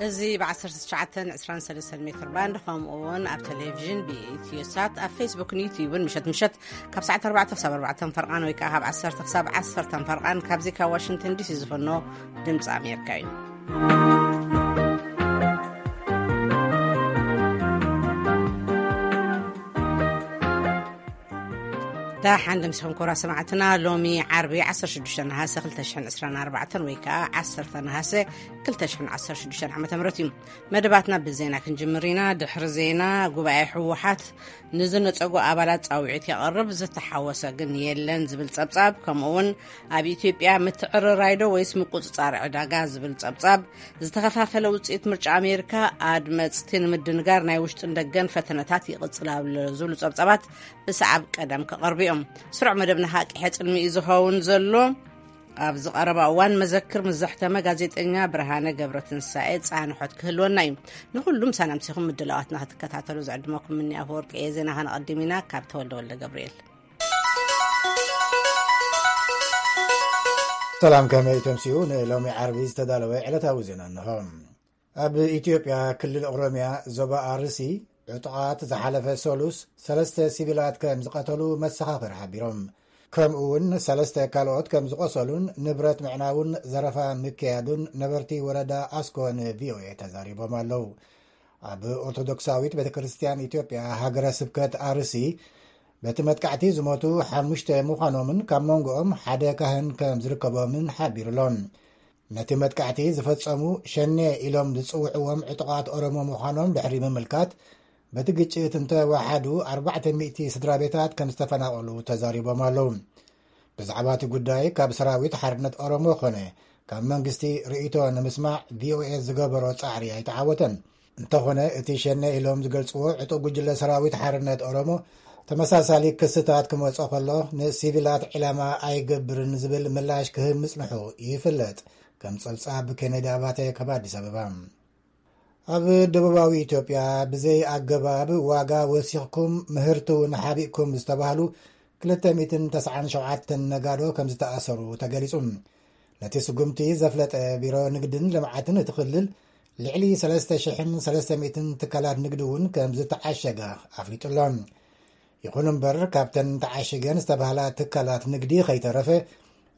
እዚ ብ19 23 ሜትር ባንድ፣ ከምኡ እውን ኣብ ቴሌቪዥን ብኢትዮ ሳት፣ ኣብ ፌስቡክን ዩቲዩብን ምሸት ምሸት ካብ ሰዓት ኣርባዕተ ክሳብ ኣርባዕተ ፈርቓን ወይ ከዓ ካብ ዓሰርተ ክሳብ ዓሰርተ ፈርቓን ካብዚ ካብ ዋሽንግተን ዲሲ ዝፈኖ ድምፂ ኣሜሪካ እዩ። ደሓን ምሳኹም ክቡራት ሰማዕትና። ሎሚ ዓርቢ ዓሰርተ ሽዱሽተ ነሃሰ ክልተ ሽሕን ዕስራን ኣርባዕተን ወይ ከዓ ዓሰርተ ነሃሰ ክልተ ሽሕን ዓሰርተ ሽዱሽተን ዓመተ ምህረት እዩ። መደባትና ብዜና ክንጅምር ኢና። ድሕሪ ዜና፣ ጉባኤ ህወሓት ንዝነጸጉ ኣባላት ጻውዒት የቕርብ፣ ዝተሓወሰ ግን የለን ዝብል ጸብጻብ፣ ከምኡ እውን ኣብ ኢትዮጵያ ምትዕርራይ ዶ ወይስ ምቁጽጻር ዕዳጋ ዝብል ጸብጻብ፣ ዝተኸፋፈለ ውጽኢት ምርጫ ኣሜሪካ፣ ኣድመጽቲ ንምድንጋር ናይ ውሽጥን ደገን ፈተነታት ይቕጽል ኣሎ ዝብሉ ጸብጻባት ብሰዓብ ቀደም ክቐርቡ እዮም። ስሩዕ መደብና ሃቂ ሕጽልሚ እዩ ዝኸውን ዘሎ። ኣብዚ ቀረባ እዋን መዘክር ምስ ዘሕተመ ጋዜጠኛ ብርሃነ ገብረትንሳኤ ጻንሖት ክህልወና እዩ። ንኹሉም ሳናምሲኹም ምድላዋትና ክትከታተሉ ዝዕድመኩም ምኒ ኣፈወርቂ እየ። ዜና ከነቐድም ኢና ካብ ተወልደ ወልደ ገብርኤል። ሰላም፣ ከመይ ተምስዩ? ንሎሚ ዓርቢ ዝተዳለወ ዕለታዊ ዜና እንሆ። ኣብ ኢትዮጵያ ክልል ኦሮሚያ ዞባ ኣርሲ ዕጡቓት ዝሓለፈ ሰሉስ ሰለስተ ሲቪላት ከም ዝቐተሉ መሰኻኽር ሓቢሮም። ከምኡ እውን ሰለስተ ካልኦት ከም ዝቖሰሉን ንብረት ምዕናውን ዘረፋ ምክያዱን ነበርቲ ወረዳ ኣስኮ ንቪኦኤ ተዛሪቦም ኣለዉ። ኣብ ኦርቶዶክሳዊት ቤተ ክርስቲያን ኢትዮጵያ ሃገረ ስብከት ኣርሲ በቲ መጥቃዕቲ ዝሞቱ ሓሙሽተ ምዃኖምን ካብ መንጎኦም ሓደ ካህን ከም ዝርከቦምን ሓቢሩሎም። ነቲ መጥቃዕቲ ዝፈጸሙ ሸኔ ኢሎም ዝጽውዕዎም ዕጡቓት ኦሮሞ ምዃኖም ድሕሪ ምምልካት፣ በቲ ግጭት እንተወሓዱ ኣርባዕተ ሚእቲ ስድራ ቤታት ከም ዝተፈናቐሉ ተዛሪቦም ኣለዉ። ብዛዕባ እቲ ጉዳይ ካብ ሰራዊት ሓርነት ኦሮሞ ኾነ ካብ መንግስቲ ርእይቶ ንምስማዕ ቪኦኤ ዝገበሮ ጻዕሪ ኣይተዓወተን። እንተኾነ፣ እቲ ሸኔ ኢሎም ዝገልጽዎ ዕጡቕ ጉጅለ ሰራዊት ሓርነት ኦሮሞ ተመሳሳሊ ክስታት ክመጾ ከሎ ንሲቪላት ዒላማ ኣይገብርን ዝብል ምላሽ ክህብ ምጽንሑ ይፍለጥ። ከም ጸብጻብ ኬኔዲ ኣባተ ካብ ኣዲስ ኣበባ። ኣብ ደቡባዊ ኢትዮጵያ ብዘይ ኣገባብ ዋጋ ወሲኽኩም ምህርቱ ንሓቢእኩም ዝተባህሉ ክልተ ሚእትን ተስዓን ሸውዓተን ነጋዶ ከም ዝተኣሰሩ ተገሊጹ። ነቲ ስጉምቲ ዘፍለጠ ቢሮ ንግድን ልምዓትን እቲ ክልል፣ ልዕሊ ሰለስተ ሽሕን ሰለስተ ሚእትን ትካላት ንግዲ እውን ከም ዝተዓሸጋ ኣፍሊጡ ኣሎ። ይኹን እምበር፣ ካብተን ተዓሽገን ዝተባህላ ትካላት ንግዲ ከይተረፈ፣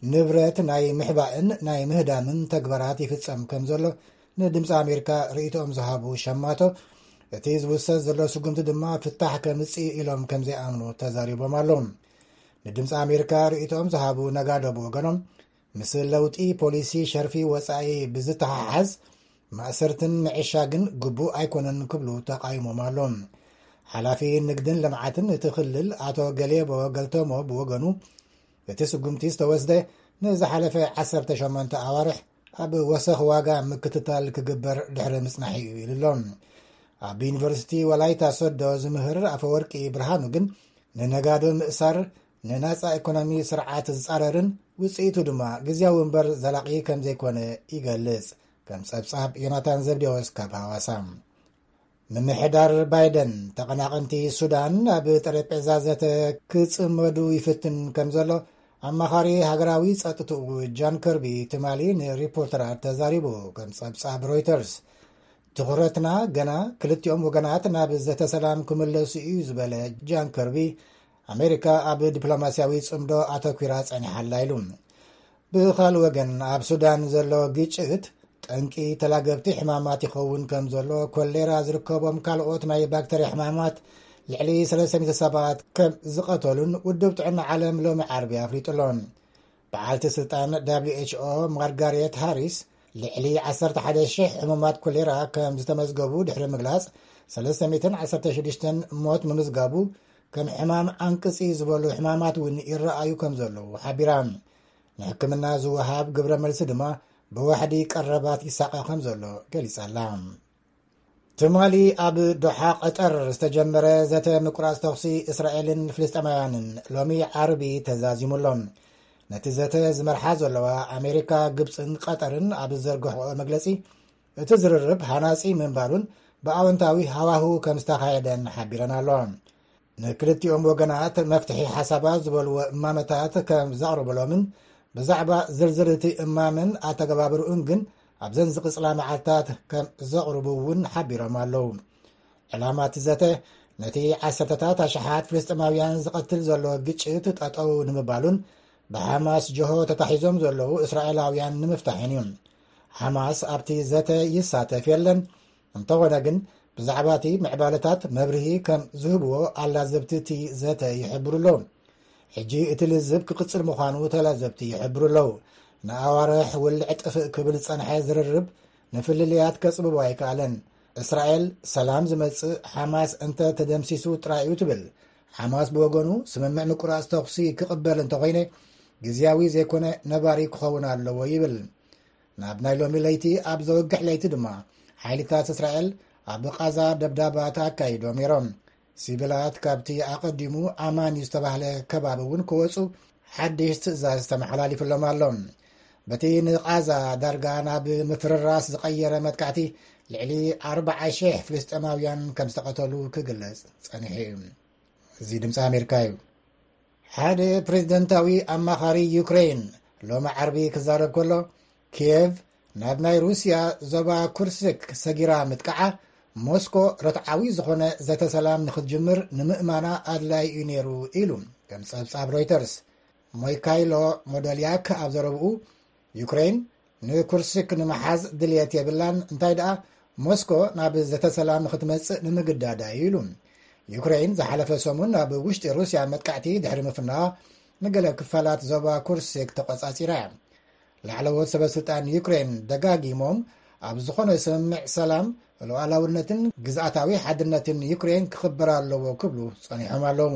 ንብረት ናይ ምሕባእን ናይ ምህዳምን ተግባራት ይፍጸም ከም ዘሎ ንድምፂ ኣሜሪካ ርእይቶኦም ዝሃቡ ሸማቶ፣ እቲ ዝውሰድ ዘሎ ስጉምቲ ድማ ፍታሕ ከምጽእ ኢሎም ከም ዘይኣምኑ ተዛሪቦም ኣለዉ። ንድምፂ ኣሜሪካ ርእይቶኦም ዝሃቡ ነጋዶ ብወገኖም፣ ምስ ለውጢ ፖሊሲ ሸርፊ ወጻኢ ብዝተሓሓዝ፣ ማእሰርትን ምዕሻግን ግቡእ ኣይኮነን ክብሉ ተቓይሞም ኣለዉ። ሓላፊ ንግድን ልምዓትን እቲ ክልል ኣቶ ገሌቦ ገልተሞ ብወገኑ፣ እቲ ስጉምቲ ዝተወስደ ንዝሓለፈ ዓሰርተ ሸሞንተ ኣዋርሕ ኣብ ወሰኽ ዋጋ ምክትታል ክግበር ድሕሪ ምጽናሕ እዩ ኢሉ ኣሎ። ኣብ ዩኒቨርሲቲ ወላይታ ሶዶ ዝምህር ኣፈወርቂ ብርሃኑ ግን፣ ንነጋዶ ምእሳር ንናጻ ኢኮኖሚ ስርዓት ዝጻረርን ውጽኢቱ ድማ ግዝያዊ እምበር ዘላቒ ከም ዘይኮነ ይገልጽ። ከም ጸብጻብ ዮናታን ዘብዴዎስ ካብ ሃዋሳ። ምምሕዳር ባይደን ተቐናቐንቲ ሱዳን ኣብ ጠረጴዛ ዘተ ክጽመዱ ይፍትን ከም ዘሎ ኣማኻሪ ሃገራዊ ጸጥትኡ ጃን ከርቢ ትማሊ ንሪፖርተራት ተዛሪቡ። ከም ጸብጻብ ሮይተርስ፣ ትኹረትና ገና ክልቲኦም ወገናት ናብ ዘተ ሰላም ክምለሱ እዩ ዝበለ ጃን ከርቢ፣ ኣሜሪካ ኣብ ዲፕሎማስያዊ ጽምዶ ኣተኲራ ጸኒሓላ ኢሉ። ብኻልእ ወገን፣ ኣብ ሱዳን ዘሎ ግጭት ጠንቂ ተላገብቲ ሕማማት ይኸውን ከም ዘሎ፣ ኮሌራ ዝርከቦም ካልኦት ናይ ባክተርያ ሕማማት ልዕሊ ሰለስተ ሚእቲ ሰባት ከም ዝቐተሉን ውድብ ጥዕና ዓለም ሎሚ ዓርቢ ኣፍሊጡ ኣሎ። በዓልቲ ስልጣን ደብሊው ኤች ኦ ማርጋሬት ሃሪስ፣ ልዕሊ ዓሰርተ ሓደ ሽሕ ሕሙማት ኮሌራ ከም ዝተመዝገቡ ድሕሪ ምግላጽ፣ ሰለስተ ሚእትን ዓሰርተ ሽዱሽተን ሞት ምምዝጋቡ፣ ከም ሕማም ዓንቅጺ ዝበሉ ሕማማት እውን ይረኣዩ ከም ዘለዉ ሓቢራ። ንሕክምና ዝወሃብ ግብረ መልሲ ድማ ብዋሕዲ ቀረባት ይሳቐ ከም ዘሎ ገሊጻ ኣላ። ትማሊ ኣብ ዶሓ ቀጠር ዝተጀመረ ዘተ ምቁራጽ ተኹሲ እስራኤልን ፍልስጤማውያንን ሎሚ ዓርቢ ተዛዚሙ ኣሎ። ነቲ ዘተ ዝመርሓ ዘለዋ ኣሜሪካ፣ ግብጽን ቀጠርን ኣብ ዝዘርግሕኦ መግለጺ፣ እቲ ዝርርብ ሃናጺ ምንባሩን ብኣወንታዊ ሃዋህው ከም ዝተኻየደን ሓቢረን ኣለዋ። ንክልቲኦም ወገናት መፍትሒ ሓሳባት ዝበልዎ እማመታት ከም ዘቕርብሎምን ብዛዕባ ዝርዝር እቲ እማመን ኣተገባብርኡን ግን ኣብዘን ዝቕጽላ መዓልታት ከም ዘቕርቡ እውን ሓቢሮም ኣለዉ። ዕላማ እቲ ዘተ ነቲ ዓሰርተታት ኣሽሓት ፍልስጥማውያን ዝቐትል ዘሎ ግጭት ጠጠው ንምባሉን ብሓማስ ጀሆ ተታሒዞም ዘለዉ እስራኤላውያን ንምፍታሕን እዩ። ሓማስ ኣብቲ ዘተ ይሳተፍ የለን። እንተኾነ ግን ብዛዕባ እቲ ምዕባለታት መብርሂ ከም ዝህብዎ ኣላዘብቲ እቲ ዘተ ይሕብሩ ኣለዉ። ሕጂ እቲ ልዝብ ክቕጽል ምዃኑ ተላዘብቲ ይሕብሩ ኣለዉ። ንኣዋርሕ ውልዕ ጥፍእ ክብል ዝጸንሐ ዝርርብ ንፍልልያት ከጽብቦ ኣይከኣለን። እስራኤል ሰላም ዝመጽእ ሓማስ እንተ ተደምሲሱ ጥራይ እዩ ትብል። ሓማስ ብወገኑ ስምምዕ ምቁራጽ ተኹሲ ክቕበል እንተኾይነ ግዝያዊ ዘይኮነ ነባሪ ክኸውን ኣለዎ ይብል። ናብ ናይ ሎሚ ለይቲ ኣብ ዘወግሕ ለይቲ ድማ ሓይልታት እስራኤል ኣብ ቓዛ ደብዳባት ኣካይዶም ነይሮም። ሲቪላት ካብቲ ኣቐዲሙ ኣማን እዩ ዝተባህለ ከባቢ እውን ክወፁ ሓድሽ ትእዛዝ ተመሓላሊፍሎም ኣሎ። በቲ ንቓዛ ዳርጋ ናብ ምፍርራስ ዝቐየረ መጥቃዕቲ ልዕሊ ኣርባዓ ሺሕ ፍልስጤማውያን ከም ዝተቐተሉ ክግለጽ ጸኒሑ እዩ። እዚ ድምፂ ኣሜሪካ እዩ። ሓደ ፕሬዝደንታዊ ኣማኻሪ ዩክሬን ሎሚ ዓርቢ ክዛረብ ከሎ፣ ኪየቭ ናብ ናይ ሩስያ ዞባ ኩርስክ ሰጊራ ምጥቃዓ ሞስኮ ርትዓዊ ዝኾነ ዘተ ሰላም ንክትጅምር ንምእማና ኣድላይ እዩ ነይሩ ኢሉ፣ ከም ጸብጻብ ሮይተርስ። ሞይካይሎ ሞደልያክ ኣብ ዘረብኡ፣ ዩክሬን ንኩርስክ ንምሓዝ ድልየት የብላን፣ እንታይ ደኣ ሞስኮ ናብ ዘተ ሰላም ንክትመጽእ ንምግዳዳ እዩ ኢሉ። ዩክሬን ዝሓለፈ ሰሙን ናብ ውሽጢ ሩስያ መጥቃዕቲ ድሕሪ ምፍናዋ ንገለ ክፋላት ዞባ ኩርስክ ተቆጻጺራ እያ። ላዕለዎት ሰበ ስልጣን ዩክሬን ደጋጊሞም ኣብ ዝኾነ ስምምዕ ሰላም ሉዓላውነትን ግዝኣታዊ ሓድነትን ዩክሬን ክኽበር ኣለዎ ክብሉ ጸኒሖም ኣለዉ።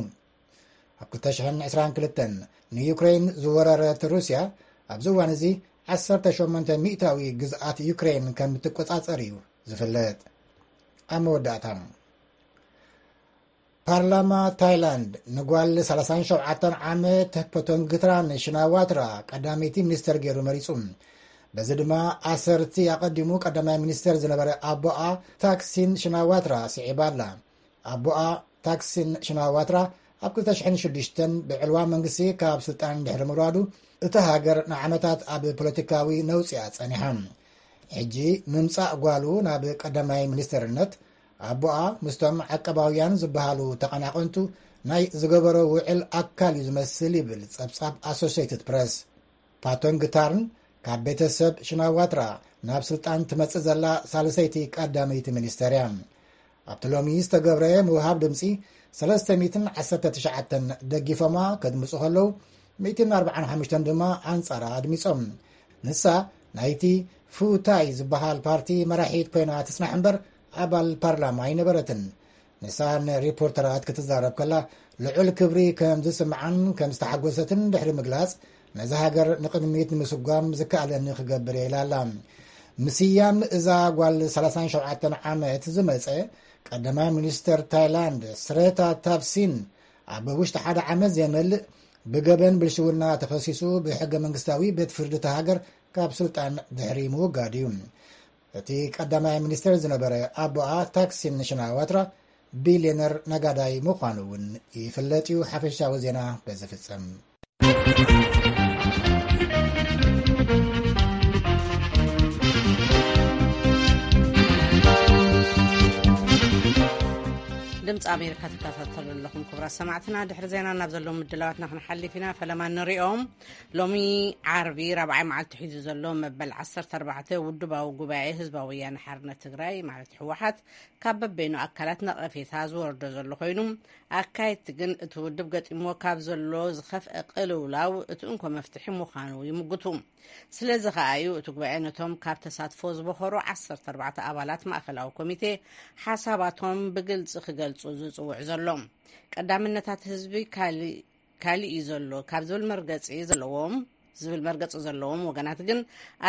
ኣብ ክልተ ሽሕን ዕስራን ክልተን ንዩክሬን ዝወረረት ሩስያ ኣብዚ እዋን እዚ ዓሰርተ ሸሞንተ ሚእታዊ ግዝኣት ዩክሬን ከም እትቆጻጸር እዩ ዝፍለጥ። ኣብ መወዳእታ፣ ፓርላማ ታይላንድ ንጓል ሰላሳን ሸውዓተን ዓመት ፖቶንግትራን ሽናዋትራ ቀዳመይቲ ሚኒስተር ገይሩ መሪጹ። በዚ ድማ ኣሰርቲ ኣቐዲሙ ቀዳማይ ሚኒስተር ዝነበረ ኣቦኣ ታክሲን ሽናዋትራ ስዒባ ኣላ። ኣቦኣ ታክሲን ሽናዋትራ ኣብ ክልተ ሽሕን ሽዱሽተን ብዕልዋ መንግስቲ ካብ ስልጣን ድሕሪ ምውራዱ እታ ሃገር ንዓመታት ኣብ ፖለቲካዊ ነውጺ እያ ጸኒሓ። ሕጂ ምምጻእ ጓሉ ናብ ቀዳማይ ሚኒስተርነት ኣቦኣ ምስቶም ዓቀባውያን ዝበሃሉ ተቐናቐንቱ ናይ ዝገበሮ ውዕል ኣካል እዩ ዝመስል ይብል ጸብጻብ ኣሶሲየትድ ፕረስ። ፓቶንግታርን ካብ ቤተሰብ ሽናዋትራ ናብ ስልጣን ትመጽእ ዘላ ሳልሰይቲ ቀዳመይቲ ሚኒስተር እያ። ኣብቲ ሎሚ ዝተገብረ ምውሃብ ድምጺ ሰለስተ ሚእትን ዓሰርተ ትሽዓተን ደጊፎማ ከድምጹ ከለዉ፣ ሚእትን ኣርባዓን ሓሙሽተን ድማ ኣንጻራ ኣድሚጾም። ንሳ ናይቲ ፉታይ ዝበሃል ፓርቲ መራሒት ኮይና ትጽናሕ እምበር ኣባል ፓርላማ ኣይነበረትን። ንሳ ንሪፖርተራት ክትዛረብ ከላ ልዑል ክብሪ ከም ዝስምዓን ከም ዝተሓጎሰትን ድሕሪ ምግላጽ፣ ነዛ ሃገር ንቕድሚት ንምስጓም ዝከኣለኒ ክገብር እየ ኢላ ኣላ። ምስያም እዛ ጓል ሰላሳን ሸውዓተን ዓመት ዝመጸ ቀዳማይ ሚኒስተር ታይላንድ ስረታ ታፍሲን ኣብ ውሽጢ ሓደ ዓመት ዘይመልእ ብገበን ብልሽውና ተኸሲሱ ብሕገ መንግስታዊ ቤት ፍርዲ እታ ሃገር ካብ ስልጣን ድሕሪ ምውጋድ እዩ። እቲ ቀዳማይ ሚኒስተር ዝነበረ ኣቦኣ ታክሲን ሽናዋትራ ቢልዮነር ነጋዳይ ምዃኑ እውን ይፍለጥ እዩ። ሓፈሻዊ ዜና በዚ ፍጸም። ድምፂ ኣሜሪካ ትከታተሉ ኣለኹም ክቡራት ሰማዕትና። ድሕሪ ዜና ናብ ዘለዉ ምድላዋትና ክንሓልፍ ኢና። ፈለማ ንሪኦም። ሎሚ ዓርቢ ራብዓይ መዓልቲ ሒዙ ዘሎ መበል ዓሰርተ ኣርባዕተ ውድባዊ ጉባኤ ህዝባዊ ወያነ ሓርነት ትግራይ ማለት ህወሓት ካብ በበይኑ ኣካላት ነቐፌታ ዝወርዶ ዘሎ ኮይኑ፣ ኣካየድቲ ግን እቲ ውድብ ገጢምዎ ካብ ዘሎ ዝኸፍአ ቅልውላው እቲ እንኮ መፍትሒ ምዃኑ ይምጉቱ። ስለዚ ከኣ እዩ እቲ ጉባኤ ነቶም ካብ ተሳትፎ ዝበኸሩ ዓሰርተ ኣርባዕተ ኣባላት ማእከላዊ ኮሚቴ ሓሳባቶም ብግልጺ ክገልጹ ዝጽውዕ ዘሎ። ቀዳምነታት ህዝቢ ካሊ- ካሊእ እዩ ዘሎ ካብ ዝብል መርገጺ ዘለዎም ዝብል መርገጺ ዘለዎም ወገናት ግን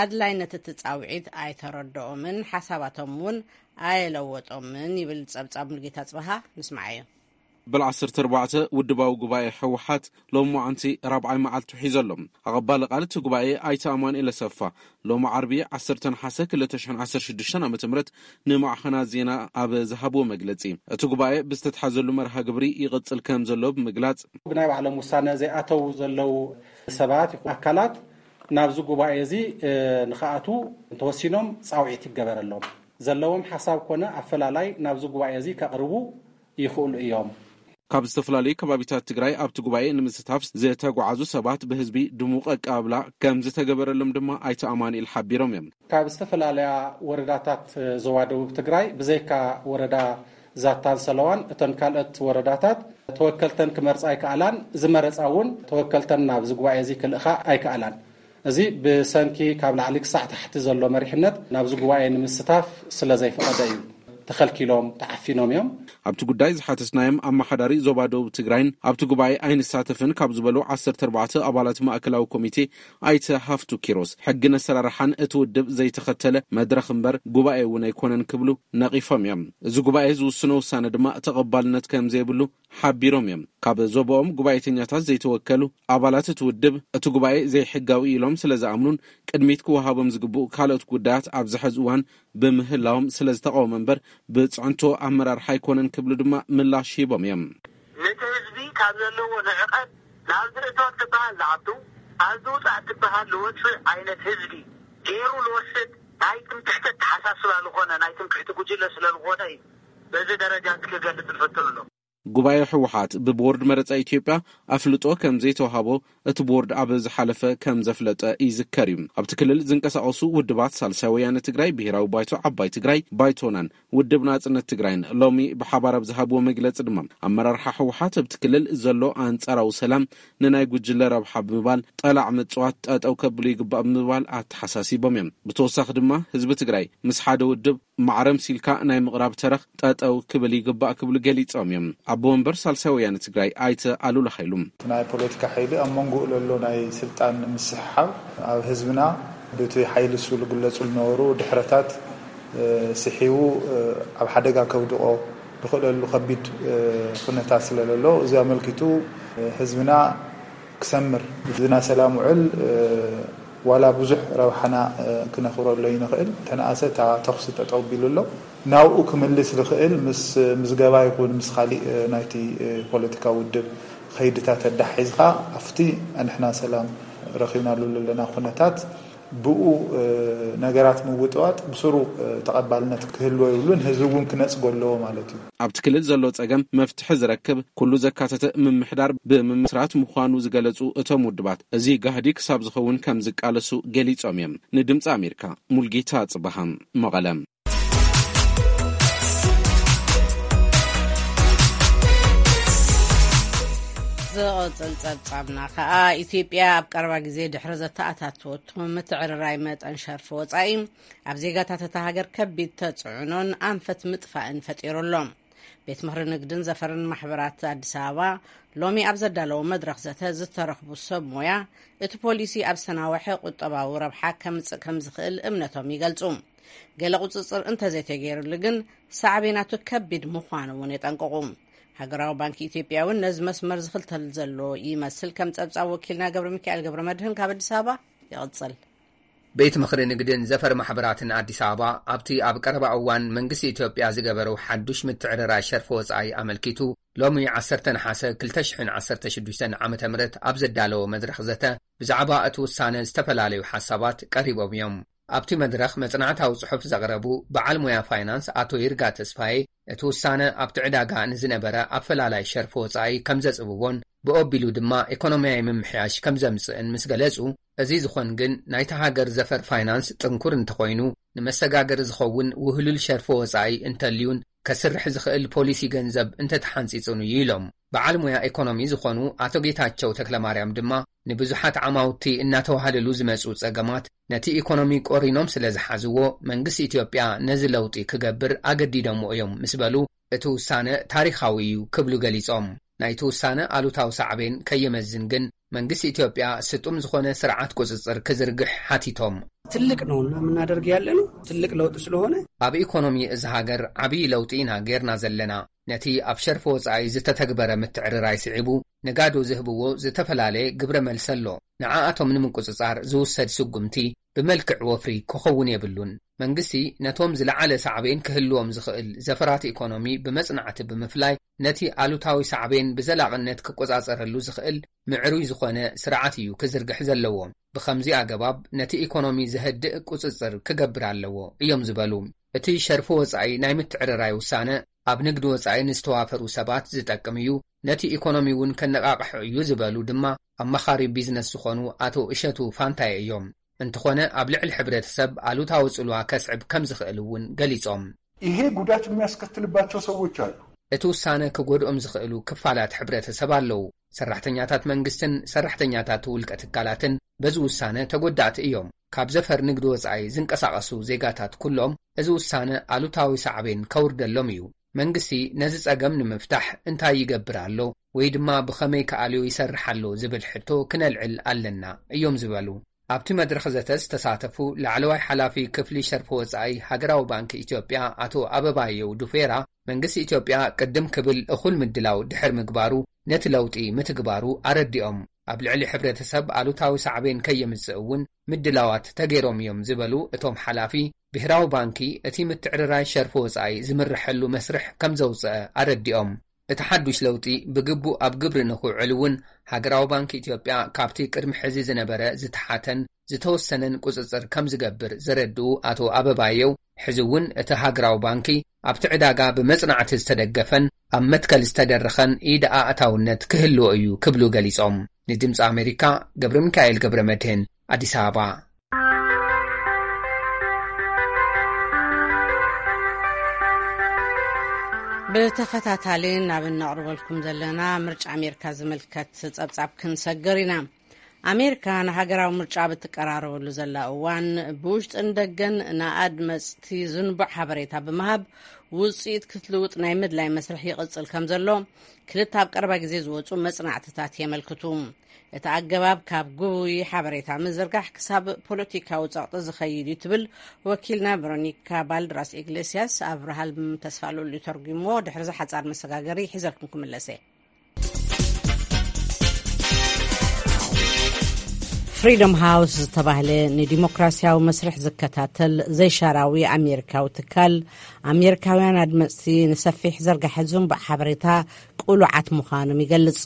ኣድላይነት እቲ ጻውዒት ኣይተረድኦምን ሓሳባቶም እውን ኣየለወጦምን ይብል ጸብጻብ ሙሉጌታ ጽበሃ። ንስምዓዮ። በል ዓሰርተ ኣርባዕተ ውድባዊ ጉባኤ ህወሓት ሎሚ መዓንቲ ራብዓይ መዓልቱ ሒዞ ኣሎ። ኣቐባሊ ቃል እቲ ጉባኤ ኣይተ ኣማኑኤል ኣሰፋ ሎሚ ዓርቢ ዓሰርተ ነሓሰ ክልተ ሽሕን ዓሰርተ ሽዱሽተን ዓመተ ምህረት ንማዕኸናት ዜና ኣብ ዝሃብዎ መግለጺ፣ እቲ ጉባኤ ብዝተትሓዘሉ መርሃ ግብሪ ይቕጽል ከም ዘሎ ብምግላጽ፣ ብናይ ባዕሎም ውሳነ ዘይኣተዉ ዘለዉ ሰባት ይኹን ኣካላት ናብዚ ጉባኤ እዚ ንክኣትዉ እንተወሲኖም ፃውዒት ይገበረሎም። ዘለዎም ሓሳብ ኮነ ኣፈላላይ ናብዚ ጉባኤ እዚ ከቕርቡ ይኽእሉ እዮም። ካብ ዝተፈላለዩ ከባቢታት ትግራይ ኣብቲ ጉባኤ ንምስታፍ ዝተጓዓዙ ሰባት ብህዝቢ ድሙቕ ኣቀባብላ ከም ዝተገበረሎም ድማ ኣይተ ኣማኑኤል ሓቢሮም እዮም። ካብ ዝተፈላለያ ወረዳታት ዞባ ደቡብ ትግራይ ብዘይካ ወረዳ ዛታን ሰለዋን እተን ካልኦት ወረዳታት ተወከልተን ክመርፃ ኣይከኣላን። ዝመረፃ እውን ተወከልተን ናብዚ ጉባኤ እዚ ክልእኻ ኣይከኣላን። እዚ ብሰንኪ ካብ ላዕሊ ክሳዕ ታሕቲ ዘሎ መሪሕነት ናብዚ ጉባኤ ንምስታፍ ስለ ዘይፈቐደ እዩ። ተኸልኪሎም ተዓፊኖም እዮም። ኣብቲ ጉዳይ ዝሓተትናዮም ኣመሓዳሪ ዞባ ደቡብ ትግራይን ኣብቲ ጉባኤ ኣይንሳተፍን ካብ ዝበሉ ዓሰርተ ኣርባዕተ ኣባላት ማእከላዊ ኮሚቴ ኣይተ ሃፍቱ ኪሮስ ሕግን ኣሰራርሓን እቲ ውድብ ዘይተኸተለ መድረኽ እምበር ጉባኤ እውን ኣይኮነን ክብሉ ነቒፎም እዮም። እዚ ጉባኤ ዝውስኖ ውሳነ ድማ ተቐባልነት ከም ዘይብሉ ሓቢሮም እዮም። ካብ ዞባኦም ጉባኤተኛታት ዘይተወከሉ ኣባላት እቲ ውድብ እቲ ጉባኤ ዘይሕጋዊ ኢሎም ስለ ዝኣምኑን ቅድሚት ክወሃቦም ዝግብኡ ካልኦት ጉዳያት ኣብዚ ሕዚ እዋን ብምህላዎም ስለ ዝተቃወመ እምበር ብፅዕንቶ ኣመራርሓ ኣይኮነን ክብሉ ድማ ምላሽ ሂቦም እዮም። ነቲ ህዝቢ ካብ ዘለዎ ንዕቀት ናብዚ እቶ ትበሃል ዝኣቱ ኣብዚ ውፃእ ትበሃል ዝወፅእ ዓይነት ህዝቢ ገይሩ ዝወስድ ናይ ትምክሕቲ ኣተሓሳስባ ዝኾነ ናይ ትምክሕቲ ጉጅለ ስለ ዝኾነ እዩ። በዚ ደረጃ እዚ ክገልፅ ዝፈትሉ ኣሎ። ጉባኤ ህወሓት ብቦርድ መረፃ ኢትዮጵያ ኣፍልጦ ከም ዘይተዋሃቦ እቲ ቦርድ ኣብ ዝሓለፈ ከም ዘፍለጠ ይዝከር እዩ። ኣብቲ ክልል ዝንቀሳቐሱ ውድባት ሳልሳይ ወያነ ትግራይ፣ ብሄራዊ ባይቶ ዓባይ ትግራይ፣ ባይቶናን ውድብ ናፅነት ትግራይን ሎሚ ብሓባር ኣብ ዝሃብዎ መግለፂ ድማ ኣመራርሓ ህወሓት ኣብቲ ክልል ዘሎ ኣንፃራዊ ሰላም ንናይ ጉጅለ ረብሓ ብምባል ጠላዕ ምፅዋት ጠጠው ከብሉ ይግባእ ብምባል ኣተሓሳሲቦም እዮም። ብተወሳኺ ድማ ህዝቢ ትግራይ ምስ ሓደ ውድብ ማዕረ ምሲልካ ናይ ምቕራብ ተረኽ ጠጠው ክብል ይግባእ ክብሉ ገሊጾም እዮም። ኣቦ ወንበር ሳልሳይ ወያነ ትግራይ ኣይተ ኣሉላ ሃይሉ። ናይ ፖለቲካ ሓይሊ ኣብ መንጎኡ ለሎ ናይ ስልጣን ምስሕሓብ ኣብ ህዝብና ብቲ ሓይሊ እሱ ዝግለጹ ዝነበሩ ድሕረታት፣ እ፣ ስሒቡ፣ እ፣ ኣብ ሓደጋ ከውድቆ ዝኽእለሉ ከቢድ፣ እ፣ ኩነታት ስለ ዘሎ እዚ ኣመልኪቱ፣ እ፣ ህዝብና ክሰምር ዝና ሰላም ውዕል፣ እ፣ ዋላ ብዙሕ ረብሓና፣ እ፣ ክነኽብረሉ ይንኽእል። ተነኣሰ እታ ተኹሲ ጠጠው ቢሉ ኣሎ። ናብኡ ክምልስ ዝኽእል ምስ ምዝገባ ይኹን ምስ ካሊእ፣ እ፣ ናይቲ፣ እ፣ ፖለቲካዊ ውድብ ኸይድታት ኣዳሒዝካ ኣብቲ ንሕና ሰላም ረኺብናሉ ዘለና ኩነታት ብኡ፣ እ፣ ነገራት ምውጥዋጥ ብስሩ፣ እ፣ ተቐባልነት ክህልዎ ይብሉን ህዝቢ እውን ክነጽጎ ኣለዎ ማለት እዩ። ኣብቲ ክልል ዘሎ ጸገም መፍትሒ ዝረክብ ኩሉ ዘካተተ ምምሕዳር ብምምስራት ምዃኑ ዝገለጹ እቶም ውድባት፣ እዚ ጋህዲ ክሳብ ዝኸውን ከም ዝቃለሱ ገሊጾም እዮም። ንድምጺ ኣሜሪካ፣ ሙልጌታ ጽበሃም፣ መቐለ። ዝቕጽል ጸብጻብና ከኣ፣ ኢትዮጵያ ኣብ ቀረባ ግዜ ድሕሪ ዘተኣታተወቶ ምትዕርራይ መጠን ሸርፊ ወጻኢ፣ ኣብ ዜጋታት እታ ሃገር ከቢድ ተጽዕኖን ኣንፈት ምጥፋእን ፈጢሩ ኣሎ። ቤት ምኽሪ ንግድን ዘፈርን ማሕበራት ኣዲስ ኣበባ ሎሚ ኣብ ዘዳለዎ መድረኽ ዘተ ዝተረኽቡ ሰብ ሞያ፣ እቲ ፖሊሲ ኣብ ዝተናወሐ ቁጠባዊ ረብሓ ከምጽእ ከም ዝኽእል እምነቶም ይገልጹ። ገለ ቁጽጽር እንተዘይተገይሩሉ ግን ሳዕቤናቱ ከቢድ ምዃኑ እውን የጠንቅቑ። ሃገራዊ ባንኪ ኢትዮጵያ እውን ነዚ መስመር ዝኽተል ዘሎ ይመስል። ከም ጸብጻብ ወኪልና ገብረ ሚካኤል ገብረ መድህን ካብ ኣዲስ ኣበባ ይቕጽል። ቤት ምኽሪ ንግድን ዘፈር ማሕበራትን ኣዲስ ኣበባ ኣብቲ ኣብ ቀረባ እዋን መንግስቲ ኢትዮጵያ ዝገበረው ሓዱሽ ምትዕርራይ ሸርፊ ወጻኢ ኣመልኪቱ፣ ሎሚ ዓሰርተ ነሓሰ ክልተ ሽሕን ዓሰርተ ሽዱሽተን ዓመተ ምህረት ኣብ ዘዳለዎ መድረኽ ዘተ፣ ብዛዕባ እቲ ውሳነ ዝተፈላለዩ ሓሳባት ቀሪቦም እዮም። ኣብቲ መድረኽ መጽናዕታዊ ጽሑፍ ዘቕረቡ በዓል ሞያ ፋይናንስ ኣቶ ይርጋ ተስፋዬ፣ እቲ ውሳነ ኣብቲ ዕዳጋ ንዝነበረ ኣፈላላይ ሸርፊ ወጻኢ ከም ዘጽብቦን ብኦቢሉ ድማ ኢኮኖሚያዊ ምምሕያሽ ከም ዘምጽእን ምስ ገለጹ፣ እዚ ዝኾን ግን ናይታ ሃገር ዘፈር ፋይናንስ ጥንኩር እንተኾይኑ፣ ንመሰጋገሪ ዝኸውን ውህሉል ሸርፊ ወጻኢ እንተልዩን ከስርሕ ዝኽእል ፖሊሲ ገንዘብ እንተተሓንጺጹን እዩ ኢሎም። በዓል ሞያ ኢኮኖሚ ዝኾኑ ኣቶ ጌታቸው ተክለማርያም ድማ ንብዙሓት ዓማውቲ እናተዋህለሉ ዝመጹ ጸገማት ነቲ ኢኮኖሚ ቆሪኖም ስለ ዝሓዝዎ መንግስቲ ኢትዮጵያ ነዚ ለውጢ ክገብር ኣገዲዶሞ እዮም ምስ በሉ እቲ ውሳነ ታሪኻዊ እዩ ክብሉ ገሊጾም። ናይቲ ውሳነ ኣሉታዊ ሳዕቤን ከየመዝን ግን መንግስቲ ኢትዮጵያ ስጡም ዝኾነ ስርዓት ቁጽጽር ክዝርግሕ ሓቲቶም። ትልቅ ነውና የምናደርግ ያለነው ትልቅ ለውጥ ስለሆነ ኣብ ኢኮኖሚ እዚ ሃገር ዓብዪ ለውጢ ኢና ጌርና ዘለና። ነቲ ኣብ ሸርፊ ወጻኢ ዝተተግበረ ምትዕርራይ ስዒቡ ነጋዶ ዝህብዎ ዝተፈላለየ ግብረ መልሲ ኣሎ። ንዓኣቶም ንምቁጽጻር ዝውሰድ ስጉምቲ ብመልክዕ ወፍሪ ክኸውን የብሉን። መንግስቲ ነቶም ዝለዓለ ሳዕቤን ክህልዎም ዝኽእል ዘፈራት ኢኮኖሚ ብመጽናዕቲ ብምፍላይ ነቲ ኣሉታዊ ሳዕቤን ብዘላቕነት ክቆጻጸረሉ ዝኽእል ምዕሩይ ዝኾነ ስርዓት እዩ ክዝርግሕ ዘለዎ። ብኸምዚ ኣገባብ ነቲ ኢኮኖሚ ዘህድእ ቁጽጽር ክገብር ኣለዎ እዮም ዝበሉ። እቲ ሸርፊ ወጻኢ ናይ ምትዕርራይ ውሳነ ኣብ ንግዲ ወጻኢ ንዝተዋፈሩ ሰባት ዝጠቅም እዩ፣ ነቲ ኢኮኖሚ እውን ከነቓቕሖ እዩ ዝበሉ ድማ ኣማኻሪ ቢዝነስ ዝኾኑ ኣቶ እሸቱ ፋንታየ እዮም። እንተኾነ ኣብ ልዕሊ ሕብረተሰብ ኣሉታዊ ጽልዋ ከስዕብ ከም ዝኽእል እውን ገሊጾም። ይሄ ጉዳት የሚያስከትልባቸው ሰዎች አሉ። እቲ ውሳነ ክጎድኦም ዝኽእሉ ክፋላት ሕብረተሰብ ኣለዉ። ሰራሕተኛታት መንግስትን ሰራሕተኛታት ውልቀ ትካላትን በዚ ውሳነ ተጎዳእቲ እዮም። ካብ ዘፈር ንግዲ ወጻኢ ዝንቀሳቐሱ ዜጋታት ኩሎም እዚ ውሳነ ኣሉታዊ ሳዕቤን ከውርደሎም እዩ። መንግስቲ ነዚ ጸገም ንምፍታሕ እንታይ ይገብር ኣሎ ወይ ድማ ብኸመይ ክኣልዮ ይሰርሕ ኣሎ ዝብል ሕቶ ክነልዕል ኣለና እዮም ዝበሉ። ኣብቲ መድረኽ ዘተ ዝተሳተፉ ላዕለዋይ ሓላፊ ክፍሊ ሸርፊ ወጻኢ ሃገራዊ ባንክ ኢትዮጵያ ኣቶ ኣበባየው ዱፌራ፣ መንግስቲ ኢትዮጵያ ቅድም ክብል እኹል ምድላው ድሕር ምግባሩ ነቲ ለውጢ ምትግባሩ ኣረዲኦም። ኣብ ልዕሊ ሕብረተሰብ ኣሉታዊ ሳዕቤን ከየምጽእ እውን ምድላዋት ተገይሮም እዮም ዝበሉ እቶም ሓላፊ፣ ብሄራዊ ባንኪ እቲ ምትዕርራይ ሸርፊ ወጻኢ ዝምርሐሉ መስርሕ ከም ዘውጽአ ኣረዲኦም። እቲ ሓዱሽ ለውጢ ብግቡእ ኣብ ግብሪ ንኽውዕል እውን ሃገራዊ ባንክ ኢትዮጵያ ካብቲ ቅድሚ ሕዚ ዝነበረ ዝተሓተን ዝተወሰነን ቁጽጽር ከም ዝገብር ዘረድኡ ኣቶ ኣበባየው፣ ሕዚ እውን እቲ ሃገራዊ ባንኪ ኣብቲ ዕዳጋ ብመጽናዕቲ ዝተደገፈን ኣብ መትከል ዝተደረኸን ኢድ ኣእታውነት ክህልዎ እዩ ክብሉ ገሊጾም። ንድምፂ ኣሜሪካ ገብረ ሚካኤል ገብረ መድህን ኣዲስ ኣበባ። ብተኸታታሊ ናብ እነቕርበልኩም ዘለና ምርጫ ኣሜሪካ ዝምልከት ጸብጻብ ክንሰግር ኢና። ኣሜሪካ ንሃገራዊ ምርጫ ብትቀራረበሉ ዘላ እዋን፣ ብውሽጥን ደገን ንኣድመጽቲ ዝንቡዕ ሓበሬታ ብምሃብ ውጽኢት ክትልውጥ ናይ ምድላይ መስርሕ ይቕጽል ከም ዘሎ ክልተ ኣብ ቀረባ ግዜ ዝወጹ መጽናዕትታት የመልክቱ። እቲ ኣገባብ ካብ ግቡይ ሓበሬታ ምዝርጋሕ ክሳብ ፖለቲካዊ ጸቕጢ ዝኸይድ እዩ ትብል ወኪልና ቨሮኒካ ባልድራስ ኢግሌስያስ። ኣብርሃም ተስፋሉል እዩ ተርጉሞ። ድሕሪ እዚ ሓጻር መሰጋገሪ ሒዘልኩም ክምለሰ። ፍሪደም ሃውስ ዝተባህለ ንዲሞክራሲያዊ መስርሕ ዝከታተል ዘይሻራዊ ኣሜሪካዊ ትካል፣ ኣሜሪካውያን ኣድመጽቲ ንሰፊሕ ዘርጋሐ ዝንቡዕ ሓበሬታ ቅሉዓት ምዃኖም ይገልጽ።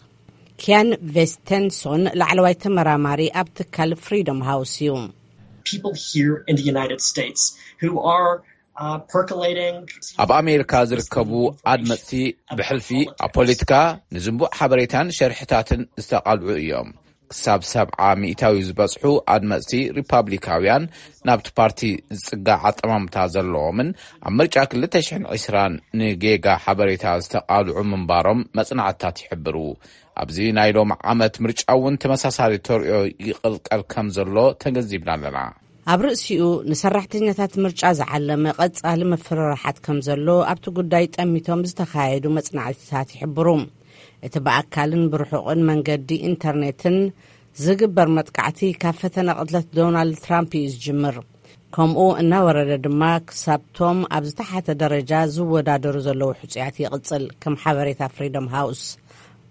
ኪያን ቬስተንሶን ላዕለዋይ ተመራማሪ ኣብ ትካል ፍሪደም ሃውስ እዩ። People here in the United States who are uh, percolating. ኣብ ኣሜሪካ ዝርከቡ ኣድመፅቲ ብሕልፊ ኣብ ፖለቲካ፣ ንዝንቡዕ ሓበሬታን ሸርሕታትን ዝተቓልዑ እዮም። ክሳብ ሰብዓ ሚእታዊ ዝበፅሑ ኣድመፅቲ ሪፓብሊካውያን ናብቲ ፓርቲ ዝፅጋዕ ኣጠማምታ ዘለዎምን ኣብ ምርጫ ክልተ ሽሕን ዕስራን ንጌጋ ሓበሬታ ዝተቓልዑ ምንባሮም መፅናዕትታት ይሕብሩ። ኣብዚ ናይ ሎም ዓመት ምርጫ እውን ተመሳሳሊ ተርእዮ ይቕልቀል ከም ዘሎ ተገንዚብና ኣለና። ኣብ ርእሲኡ ንሰራሕተኛታት ምርጫ ዝዓለመ ቀጻሊ ምፍርራሓት ከም ዘሎ ኣብቲ ጉዳይ ጠሚቶም ዝተኻየዱ መጽናዕትታት ይሕብሩ። እቲ ብኣካልን ብርሑቕን መንገዲ ኢንተርኔትን ዝግበር መጥቃዕቲ ካብ ፈተነ ቅትለት ዶናልድ ትራምፕ እዩ ዝጅምር። ከምኡ እናወረደ ድማ ክሳብቶም ኣብ ዝተሓተ ደረጃ ዝወዳደሩ ዘለዉ ሕጹያት ይቕጽል፣ ከም ሓበሬታ ፍሪደም ሃውስ።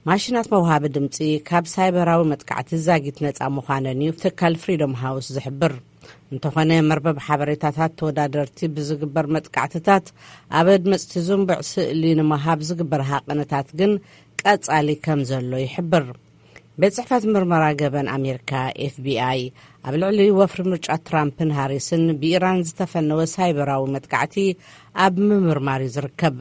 ማሽናት መውሃቢ ድምጺ ካብ ሳይበራዊ መጥቃዕቲ ዛጊት ነጻ ምዃነን እዩ ትካል ፍሪደም ሃውስ ዝሕብር። እንተኾነ መርበብ ሓበሬታታት ተወዳደርቲ ብዝግበር መጥቃዕትታት ኣብ ኣድመጽቲ ዝንቡዕ ስእሊ ንምሃብ ዝግበር ሃቐነታት ግን ቀጻሊ ከም ዘሎ ይሕብር። ቤት ጽሕፈት ምርመራ ገበን ኣሜሪካ ኤፍቢኣይ ኣብ ልዕሊ ወፍሪ ምርጫ ትራምፕን ሃሪስን ብኢራን ዝተፈነወ ሳይበራዊ መጥቃዕቲ ኣብ ምምርማር እዩ ዝርከብ።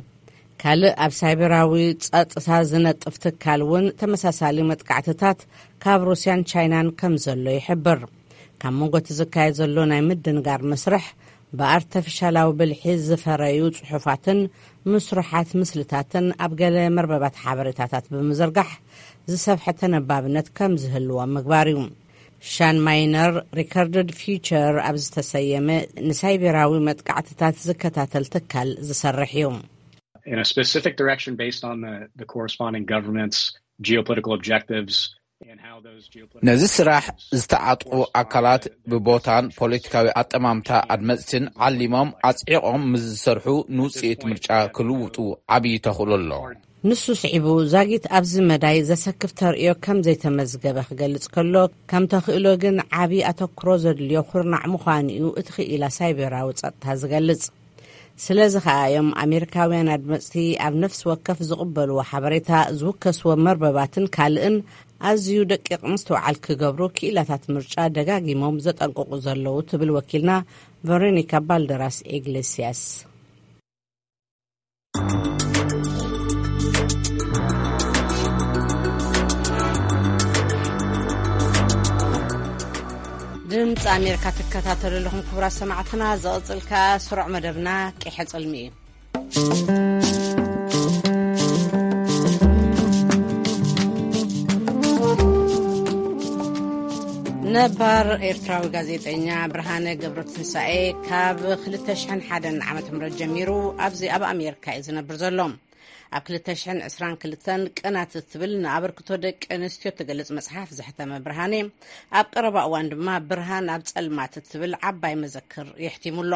ካልእ ኣብ ሳይበራዊ ጸጥታ ዝነጥፍ ትካል እውን ተመሳሳሊ መጥቃዕትታት ካብ ሩስያን ቻይናን ከም ዘሎ ይሕብር። ካብ መንጎ እቲ ዝካየድ ዘሎ ናይ ምድንጋር መስርሕ ብኣርተፊሻላዊ ብልሒ ዝፈረዩ ጽሑፋትን ምስሩሓት ምስልታትን ኣብ ገለ መርበባት ሓበሬታታት ብምዝርጋሕ ዝሰፍሐ ተነባብነት ከም ዝህልዎ ምግባር እዩ። ሻን ማይነር ሪከርድድ ፊውቸር ኣብ ዝተሰየመ ንሳይቤራዊ መጥቃዕትታት ዝከታተል ትካል ዝሰርሕ እዩ። In a specific direction based on the, the corresponding government's geopolitical objectives and how those geopolitical ነዚ ስራሕ ዝተዓጥቁ ኣካላት ብቦታን ፖለቲካዊ ኣጠማምታ ኣድመፅትን ዓሊሞም ኣፅዒቖም ምስ ዝሰርሑ ንውፅኢት ምርጫ ክልውጡ ዓብዪ ተኽእሎ ኣሎ። ንሱ ስዒቡ ዛጊት ኣብዚ መዳይ ዘሰክፍ ተርእዮ ከም ዘይተመዝገበ ክገልጽ ከሎ፣ ከም ተኽእሎ ግን ዓቢ ኣተኩሮ ዘድልዮ ኩርናዕ ምዃኑ እዩ እቲ ክኢላ ሳይበራዊ ጸጥታ ዝገልጽ። ስለዚ ከኣ እዮም ኣሜሪካውያን ኣድመጽቲ ኣብ ነፍሲ ወከፍ ዝቕበልዎ ሓበሬታ፣ ዝውከስዎ መርበባትን ካልእን ኣዝዩ ደቂቕ ምስትውዓል ክገብሩ፣ ክኢላታት ምርጫ ደጋጊሞም ዘጠንቅቑ ዘለዉ ትብል ወኪልና ቨሮኒካ ባልደራስ ኢግሌስያስ። ድምፂ ኣሜሪካ ትከታተሉ ኣለኹም ክቡራት ሰማዕትና። ዝቕፅል ከኣ ስሩዕ መደብና ቂሐ ጽልሚ እዩ። ነባር ኤርትራዊ ጋዜጠኛ ብርሃነ ገብረትንሳኤ ካብ ክልተ ሽሕን ሓደን ዓመተ ምህረት ጀሚሩ ኣብዚ ኣብ ኣሜሪካ እዩ ዝነብር ዘሎ። ኣብ ክልተ ሽሕን ዕስራን ክልተን ቅናት እትብል ንኣበርክቶ ደቂ ኣንስትዮ እትገልጽ መጽሓፍ ዘሕተመ ብርሃኔ፣ ኣብ ቀረባ እዋን ድማ ብርሃን ኣብ ጸልማት እትብል ዓባይ መዘክር የሕቲሙ ኣሎ።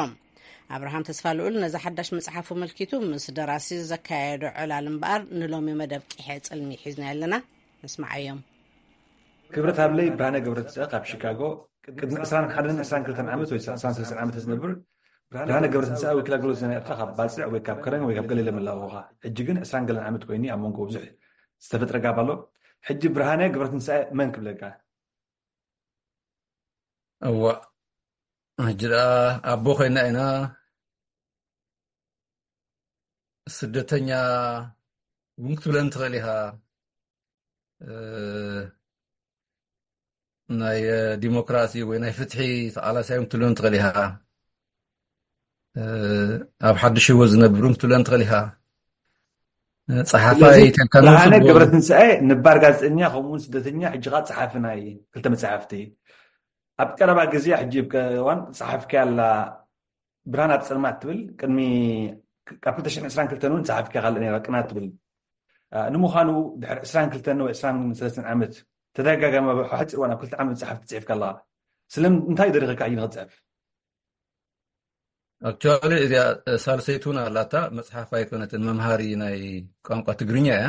ኣብርሃም ተስፋልኡል ነዛ ሓዳሽ መጽሓፉ ኣመልኪቱ ምስ ደራሲ ዘካየዶ ዕላል እምበኣር ንሎሚ መደብ ቂሐ ጽልሚ ሒዝና ኣለና። ንስምዓዮም። ክብረት ሃብለይ፣ ብርሃነ ገብረትንሳኤ ካብ ሺካጎ። ቅድሚ ዕስራን ሓደን ዕስራን ክልተን ዓመት ወይ ዕስራን ሰለስተን ዓመት ዝነብር ብርሃነ ገብረትንሳኤ ወኪል ኣገልግሎት ዜና ኤርትራ ካብ ባጽዕ ወይ ካብ ከረን ወይ ካብ ገሊለ ምላውኻ። ሕጂ ግን ዕስራን ገለን ዓመት ኮይኑ ኣብ መንጎ ብዙሕ ዝተፈጥረ ጋብ ኣሎ። ሕጂ ብርሃነ ገብረትንሳኤ መን ክብለካ? እዋ፣ ሕጂ ደኣ ኣቦ ኮይና ኢና። ስደተኛ እውን ክትብለኒ ትኽእል ኢኻ። እ፣ ናይ፣ እ፣ ዲሞክራሲ ወይ ናይ ፍትሒ ተቓላሳይ እውን ክትብለኒ ትኽእል ኢኻ። እ፣ ኣብ ሓድሽ ህይወት ዝነብር እውን ክትብለኒ ትኽእል ኢኻ። እ፣ ጸሓፋይ ስለዚ ተልካ ብርሃነ ንጽቡቕ። ገብረትንሳኤ ነባር ጋዜጠኛ፣ ከምኡ እውን ስደተኛ፣ ሕጂ ኸኣ ጸሓፊ ናይ ክልተ መጻሕፍቲ። ኣብ ቀረባ ግዜ፣ ሕጂ እዋን ጸሓፍኪ ኣላ፣ ብርሃን ኣብ ጸልማት ትብል፣ ቅድሚ፣ ካብ ክልተ ሽሕን ዕስራን ክልተን እውን ጸሓፍኪ ካልእ ነይራ፣ ቅናት ትብል። እ፣ ንምዃኑ ድሕሪ ዕስራን ክልተን ወይ ዕስራን ሰለስተን ዓመት ተደጋጋሚ ኣብ ሓጺር እዋን ኣብ ክልተ ዓመት መጽሓፍቲ ጽሒፍካ ኣለኻ። ስለምንታይ ደሪኸካ እዩ ንኽትጽሕፍ? ኣክቹዋሊ እዚኣ፣ እ፣ ሳልሰይቲ እውን ኣላታ፣ መጽሓፍ ኣይኮነትን፣ መምሃሪ ናይ ቋንቋ ትግርኛ እያ።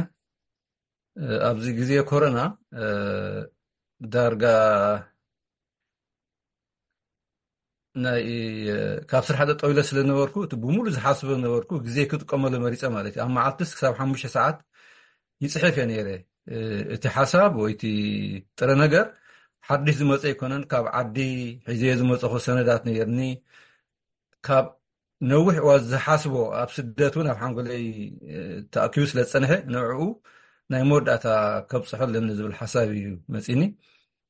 እ፣ ኣብዚ ግዜ ኮሮና፣ እ፣ ዳርጋ ናይ፣ እ፣ ካብ ስራሕ ጠጠው ኢለ ስለ ነበርኩ፣ እቲ ብሙሉ ዝሓስቦ ነበርኩ ግዜ ክጥቀመሉ መሪጸ ማለት እዩ። ኣብ መዓልትስ ክሳብ ሓሙሽተ ሰዓት ይጽሕፍ እየ ነይረ። እ፣ እቲ ሓሳብ ወይ እቲ ጥረ ነገር ሓድሽ ዝመጸ ኣይኮነን። ካብ ዓዲ ሒዘዮ ዝመጸኹ ሰነዳት ነይርኒ። ካብ ነዊሕ እዋን ዝሓስቦ፣ ኣብ ስደት እውን ኣብ ሓንጎለይ፣ እ፣ ተኣኪቡ ስለ ዝጸንሐ፣ ንዕኡ ናይ መወዳእታ ከብጽሖ ኣለኒ ዝብል ሓሳብ እዩ መጺኒ።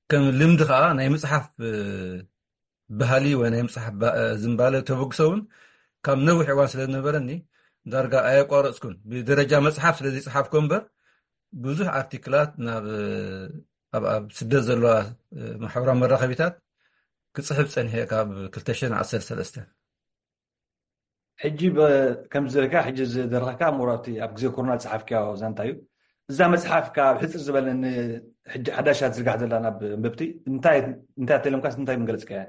ከም ልምዲ ከኣ ናይ ምጽሓፍ፣ እ፣ ባህሊ ወይ ናይ ምጽሓፍ ባ-፣ እ፣ ዝንባለ ተበግሶ እውን ካብ ነዊሕ እዋን ስለ ዝነበረኒ ዳርጋ ኣየቋረጽኩን። ብደረጃ መጽሓፍ ስለ ዘይጸሓፍኩ እምበር፣ ብዙሕ ኣርቲክላት ናብ፣ እ፣ ኣብ፣ ኣብ ስደት ዘለዋ፣ እ፣ ማሕበራዊ መራኸቢታት ክጽሕፍ ጸኒሐ ካብ ክልተ ሽሕን ዓሰርተ ሰለስተን። ሕጂ በ-፣ ከምዚ ዝበልካ፣ ሕጂ ዝደረኸካ እሞ ኣብቲ ኣብ ግዜ ኮሮና ዝጸሓፍካዮ ዛንታ እዩ። እዛ መጽሓፍ ከኣ ኣብ ሕጽር ዝበለ ን-፣ ሕጂ ሓዳሽ እያ ትዝርጋሕ ዘላ ናብ ኣንበብቲ። እንታይ፣ እንታይ ኣተሎምካስ እንታይ ምገለጽካያ?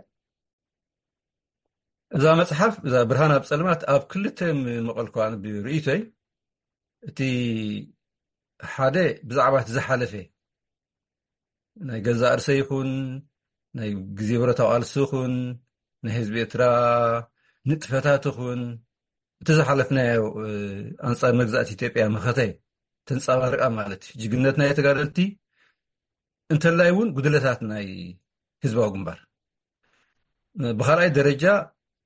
እዛ መጽሓፍ፣ እዛ ብርሃን ኣብ ጸልማት፣ ኣብ ክልተ ምቐልኳ ብርእይቶይ፣ እቲ ሓደ ብዛዕባ እቲ ዝሓለፈ ናይ ገዛእ ርእሰይ ይኹን፣ ናይ ግዜ ብረታዊ ቃልሲ ይኹን፣ ናይ ህዝቢ ኤርትራ ንጥፈታት ይኹን፣ እቲ ዝሓለፍናዮ፣ እ፣ ኣንጻር መግዛእቲ ኢትዮጵያ መኸተ ተንጸባርቃ ማለት እዩ። ጅግንነት ናይ ተጋደልቲ እንተላይ እውን ጉድለታት ናይ ህዝባዊ ግንባር። ብኻልኣይ ደረጃ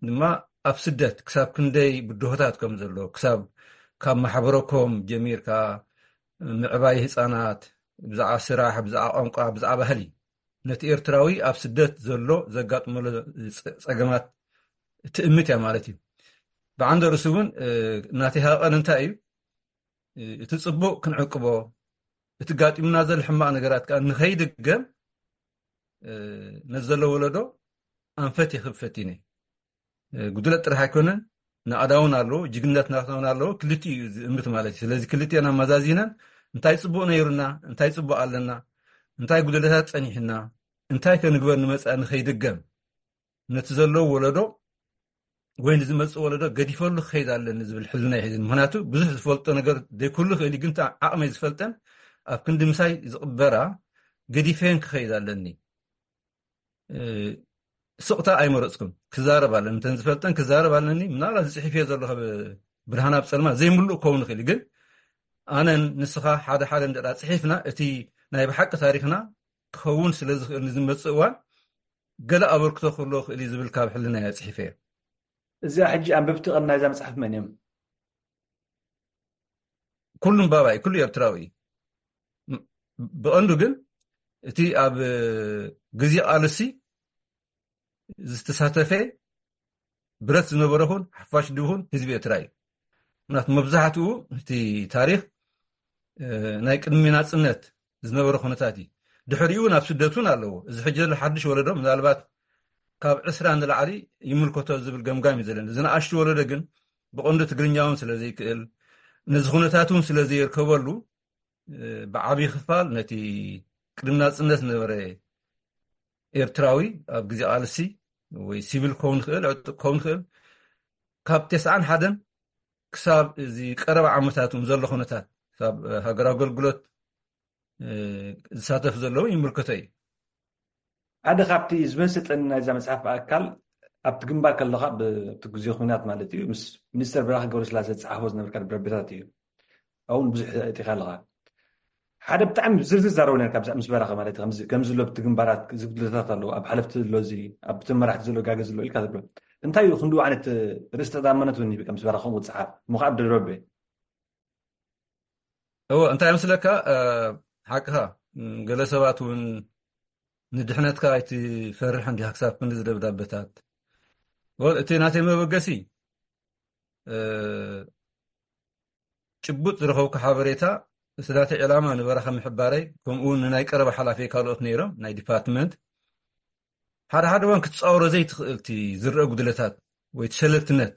ድማ ኣብ ስደት ክሳብ ክንደይ ብድሆታት ከም ዘሎ፣ ክሳብ ካብ ማሕበረኮም ጀሚርካ ምዕባይ ህጻናት፣ ብዛዕባ ስራሕ፣ ብዛዕባ ቋንቋ፣ ብዛዕባ ባህሊ፣ ነቲ ኤርትራዊ ኣብ ስደት ዘሎ ዘጋጥመሎ ጸ-፣ ጸገማት ትእምት እያ ማለት እዩ። ብዓንደ ርእሱ እውን፣ እ፣ ናተይ ሃቐን እንታይ እዩ? እ፣ እቲ ጽቡቕ ክንዕቅቦ፣ እቲ ጋጢሙና ዘሎ ሕማቕ ነገራት ከኣ ንኸይድገም፣ እ፣ ነዚ ዘሎ ወለዶ ኣንፈት ይኽብ ፈቲነ። እ፣ ጉድለት ጥራሕ ኣይኮነን፣ ናእዳ እውን ኣለዎ፣ ጅግንነት ናትና እውን ኣለዎ። ክልቲኡ እዩ ዝእምት ማለት እዩ። ስለዚ ክልቲአን ኣመዛዚነን እንታይ ጽቡቕ ነይሩና፣ እንታይ ጽቡቕ ኣለና፣ እንታይ ጉድለታት ጸኒሕና፣ እንታይ ከ ንግበር ንመጻኢ ንኸይድገም፣ ነቲ ዘሎ ወለዶ ወይ ንዝመጽእ ወለዶ ገዲፈሉ ክኸይድ ኣለኒ ዝብል ሕልና እዩ ሒዝኒ። ምኽንያቱ ብዙሕ ዝፈልጦ ነገር ዘይኩሉ ክእል እዩ፣ ግን እታ ዓቕመይ ዝፈልጠን ኣብ ክንዲ ምሳይ ዝቕበራ ገዲፈየን ክኸይድ ኣለኒ። እ፣ ስቕታ ኣይመረፅኩም። ክዛረብ ኣለኒ፣ እንተን ዝፈልጠን ክዛረብ ኣለኒ። ምናልባት ዝፅሒፍ እየ ዘለኹ፣ ብርሃን ኣብ ፀልማ ዘይምሉእ ክኸውን ይኽእል እዩ። ግን ኣነን ንስኻ ሓደ ሓደ እንደ ፅሒፍና፣ እቲ ናይ ብሓቂ ታሪኽና ክኸውን ስለ ዝኽእል ንዝመፅእ እዋን ገለ ኣበርክቶ ክህልዎ ክእል እዩ ዝብል ካብ ሕልና እየ ፅሒፈ እየ። እዚኣ ሕጂ ኣንበብቲ ቀም ናይዛ መፅሓፍ መን እዮም? ኩሉም ባባይ፣ ኩሉ ኤርትራዊ እዩ። ብቐንዱ ግን እቲ ኣብ ግዜ ቃልሲ ዝተሳተፈ ብረት ዝነበረ ኹን ሓፋሽ ድኹን ህዝቢ ኤርትራ እዩ። ምክንያቱ መብዛሕትኡ እቲ ታሪኽ ናይ ቅድሚ ናጽነት ዝነበረ ኩነታት እዩ። ድሕሪኡ ናብ ስደት እውን ኣለዎ። እዚ ሕጂ ዘሎ ሓድሽ ወለዶ ምናልባት ካብ ዕስራ ንላዕሊ ይምልከቶ ዝብል ገምጋም እዩ ዘለኒ። እዚ ንኣሽቱ ወለዶ ግን ብቐንዱ ትግርኛ እውን ስለ ዘይክእል፣ ነዚ ኩነታት እውን ስለ ዘየርከበሉ፣ ብዓብዪ ክፋል ነቲ ቅድሚ ናጽነት ዝነበረ ኤርትራዊ ኣብ ግዜ ቃልሲ ወይ ሲቪል ክኸውን ይኽእል፣ ዕጡቕ ክኸውን ይኽእል፣ ካብ ተስዓን ሓደን ክሳብ እዚ ቀረባ ዓመታት እውን ዘሎ ኩነታት፣ ክሳብ ሃገር ኣገልግሎት ዝሳተፍ ዘለዉ ይምልከቶ እዩ። ሓደ ካብቲ ዝበሰጠኒ ናይዛ መጽሓፍ ኣካል፣ ኣብቲ ግንባር ከለኻ፣ ብቲ ግዜ ኩናት ማለት እዩ፣ ምስ ሚኒስተር በራኺ ገብረስላሴ ዝጸሓፎ ዝነበርካ ደብዳቤታት እዩ። ኣብኡ ብዙሕ እቲኻ ኣለኻ። ሓደ ብጣዕሚ ዝርዝር ዛረቡ ነርካ ምስ በራኺ ማለት እዩ። ከምዚ ኣሎ ብቲ ግንባራት ዝጉድለታት ኣለዎ፣ ኣብ ሓለፍቲ ኣሎ፣ እዚ ኣብ ተመራሕቲ ዘሎ ጋገ ዘሎ ኢልካ ትብሎ። እንታይ እዩ ክንድኡ ዓይነት ርእስ ተኣማንነት እውን ይህብካ ምስ በራኺ ከምኡ ትጽሓፍ እሞ ከዓ ደብዳቤ? እዎ፣ እንታይ መስለካ፣ ሓቅኻ፣ ገለ ሰባት እውን ንድሕነትካ ኣይትፈርሕን ዲኻ ክሳብ ክንዲ ዝደብዳበታት። ወል እቲ ናተይ መበገሲ ጭቡጥ ዝረኸብኩ ሓበሬታ፣ እቲ ናተይ ዕላማ ንበራኸ ምሕባረይ፣ ከምኡ እውን ንናይ ቀረባ ሓላፊ ካልኦት ነይሮም ናይ ዲፓርትመንት፣ ሓደ ሓደ እዋን ክትፃወሮ ዘይትኽእል እቲ ዝረአ ጉድለታት ወይ እቲ ሸለልትነት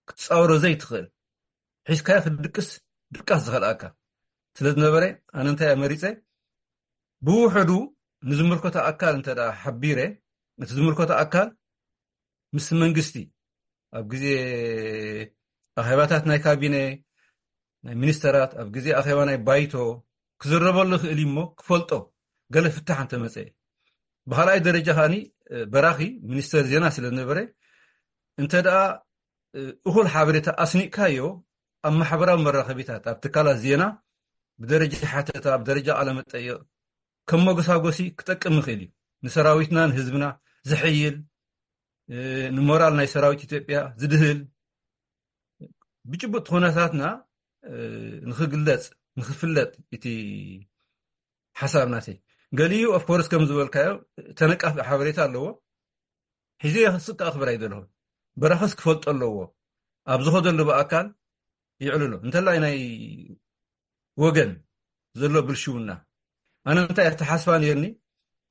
ክትፃወሮ ዘይትኽእል፣ ሒዝካዮ ክትድቅስ ድቃስ ዝኸልኣካ ስለ ዝነበረ፣ ኣነ እንታይ መሪፀ፣ ብውሕዱ ንዝምልከቶ ኣካል እንተ ደኣ ሓቢረ፣ እቲ ዝምልከቶ ኣካል ምስ መንግስቲ ኣብ ግዜ ኣኼባታት ናይ ካቢነ፣ ናይ ሚኒስተራት፣ ኣብ ግዜ ኣኼባ ናይ ባይቶ ክዝረበሉ ይኽእል እዩ እሞ ክፈልጦ፣ ገለ ፍታሕ እንተመፀ። ብኻልኣይ ደረጃ ከኣኒ በራኺ ሚኒስተር ዜና ስለ ዝነበረ፣ እንተ ደኣ እኹል ሓበሬታ ኣስኒቕካዮ ኣብ ማሕበራዊ መራኸቢታት፣ ኣብ ትካላት ዜና ብደረጃ ሓተታ፣ ኣብ ደረጃ ቃለ መጠይቕ ከም መጎሳጎሲ ክጠቅም ይኽእል እዩ። ንሰራዊትና ንህዝብና ዘሐይል፣ ንሞራል ናይ ሰራዊት ኢትዮጵያ ዝድህል፣ ብጭቡጥ ኩነታትና ንኽግለጽ፣ ንኽፍለጥ እቲ ሓሳብ ናተይ። ገሊኡ ኦፍኮርስ ከም ዝበልካዮ ተነቃፊ ሓበሬታ ኣለዎ። ሒዘ ክስካ ኣኽብር ኣይደለኹን። በራኸስ ክፈልጦ ኣለዎ። ኣብ ዝኸደሉ ብኣካል ይዕልሎ። እንተላይ ናይ ወገን ዘሎ ብልሽውና፣ ኣነ እንታይ ኣተሓስባ ነርኒ፣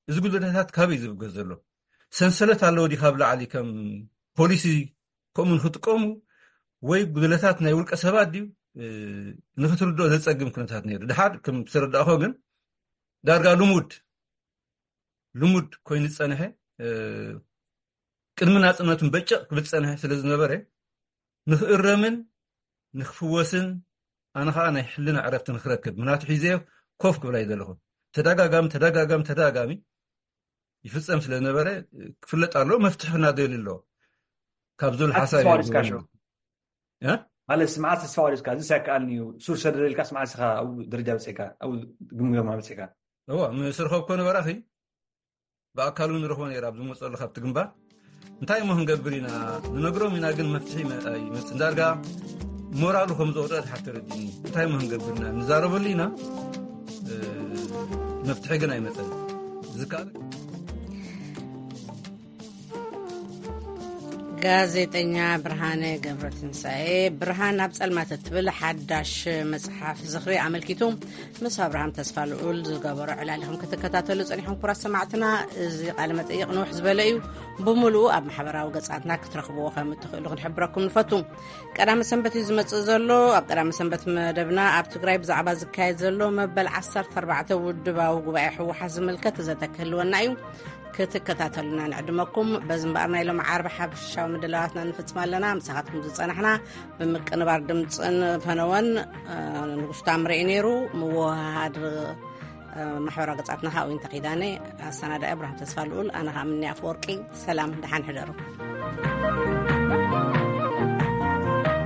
እዚ ጉድለታት ካበይ ዝብገስ ዘሎ? ሰንሰለት ኣለዎ ዲ ካብ ላዕሊ ከም ፖሊሲ ከምኡ ንክጥቀሙ፣ ወይ ጉድለታት ናይ ውልቀ ሰባት ድዩ? ንክትርድኦ ዘፀግም ኩነታት ነይሩ። ድሓር ከም ዝተረዳእኮ ግን ዳርጋ ልሙድ ልሙድ ኮይኑ ዝፀንሐ፣ ቅድሚ ናፅነቱን በጨቕ ክብል ዝፀንሐ ስለ ዝነበረ፣ ንክእረምን ንክፍወስን፣ ኣነ ከዓ ናይ ሕልና ዕረፍቲ ንክረክብ፣ ምክንያቱ ሒዘዮ ኮፍ ክብል ኣይደለኹን። ተደጋጋሚ ተደጋጋሚ ተደጋጋሚ ይፍፀም ስለ ዝነበረ ክፍለጥ ኣለዎ፣ መፍትሒ ክናደሉ ኣለዎ ካብ ዝብል ሓሳብ ማለት ስምዓት ተስፋ ወዲስካ፣ እዚ ኣይከኣልን እዩ፣ ሱር ሰደደ ኢልካ ስምዓት ኢኻ ኣብኡ ደረጃ በፂሕካ፣ ኣብኡ ግምገማ በፂሕካ። እዋ፣ ምስ ረኸብኮ ንበራኺ ብኣካል እውን ንረኽቦ ነይረ ኣብ ዝመፀሉ ካብቲ ግንባር። እንታይ እሞ ክንገብር ኢና? ንነግሮም ኢና፣ ግን መፍትሒ ኣይመፅን። ዳርጋ ሞራሉ ከም ዘውደቐ ድሓር ተረዲእኒ። እንታይ እሞ ክንገብር ኢና? ንዛረበሉ ኢና፣ መፍትሒ ግን ኣይመፀን። ዝከኣል ጋዜጠኛ ብርሃነ ገብረትንሳኤ፣ ብርሃን ኣብ ጸልማት እትብል ሓዳሽ መጽሓፍ ዝኽሪ ኣመልኪቱ ምስ ኣብርሃም ተስፋልኡል ዝገበሮ ዕላል ኢኹም ክትከታተሉ ጸኒሕኩም። ክቡራት ሰማዕትና፣ እዚ ቃለ መጠይቕ ንውሕ ዝበለ እዩ። ብምሉኡ ኣብ ማሕበራዊ ገጻትና ክትረኽብዎ ከም እትኽእሉ ክንሕብረኩም ንፈቱ። ቀዳመ ሰንበት እዩ ዝመጽእ ዘሎ። ኣብ ቀዳመ ሰንበት መደብና ኣብ ትግራይ ብዛዕባ ዝካየድ ዘሎ መበል ዓሰርተ ኣርባዕተ ውድባዊ ጉባኤ ህወሓት ዝምልከት ዘተ ክህልወና እዩ። ክትከታተሉና ንዕድመኩም። በዚ እምበኣር ናይ ሎሚ ዓርቢ ሓፈሻዊ ምድላዋትና ንፍጽም ኣለና። ምሳኻትኩም ዝጸናሕና ብምቅንባር ድምፅን ፈነወን ንጉስ ታምረ እዩ ነይሩ። ምውህሃድ ማሕበራዊ ገጻትና ካብኡ ተኺዳነ። ኣሰናዳኢ ኣብርሃም ተስፋ ልኡል፣ ኣነ ከዓ ምኒ ኣፈወርቂ። ሰላም፣ ደሓን ሕደሩ።